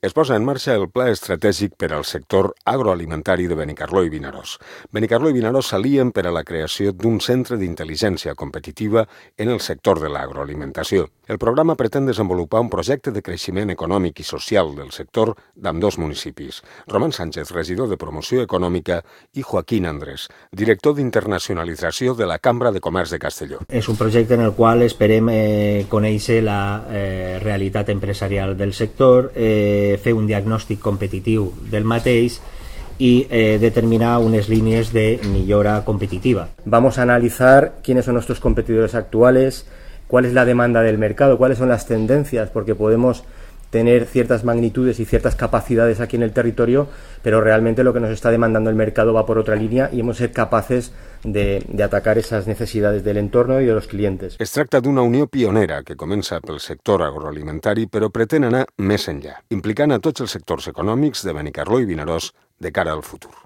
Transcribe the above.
Es posa en marxa el Pla Estratègic per al sector agroalimentari de Benicarló i Vinaròs. Benicarló i Vinaròs s'alien per a la creació d'un centre d'intel·ligència competitiva en el sector de l'agroalimentació. El programa pretén desenvolupar un projecte de creixement econòmic i social del sector d'ambdós municipis. Roman Sánchez, regidor de Promoció Econòmica, i Joaquín Andrés, director d'internacionalització de la Cambra de Comerç de Castelló. És un projecte en el qual esperem conèixer la realitat empresarial del sector, fer un diagnòstic competitiu del mateix y determinar unas líneas de mejora competitiva. Vamos a analizar quiénes son nuestros competidores actuales, cuál es la demanda del mercado, cuáles son las tendencias, porque podemos tener ciertas magnitudes y ciertas capacidades aquí en el territorio, pero realmente lo que nos está demandando el mercado va por otra línea y hemos de ser capaces de atacar esas necesidades del entorno y de los clientes. Es tracta d'una unió pionera que comença pel sector agroalimentari però pretén anar més enllà, implicant a tots els sectors econòmics de Benicarló i Vinaròs de cara al futur.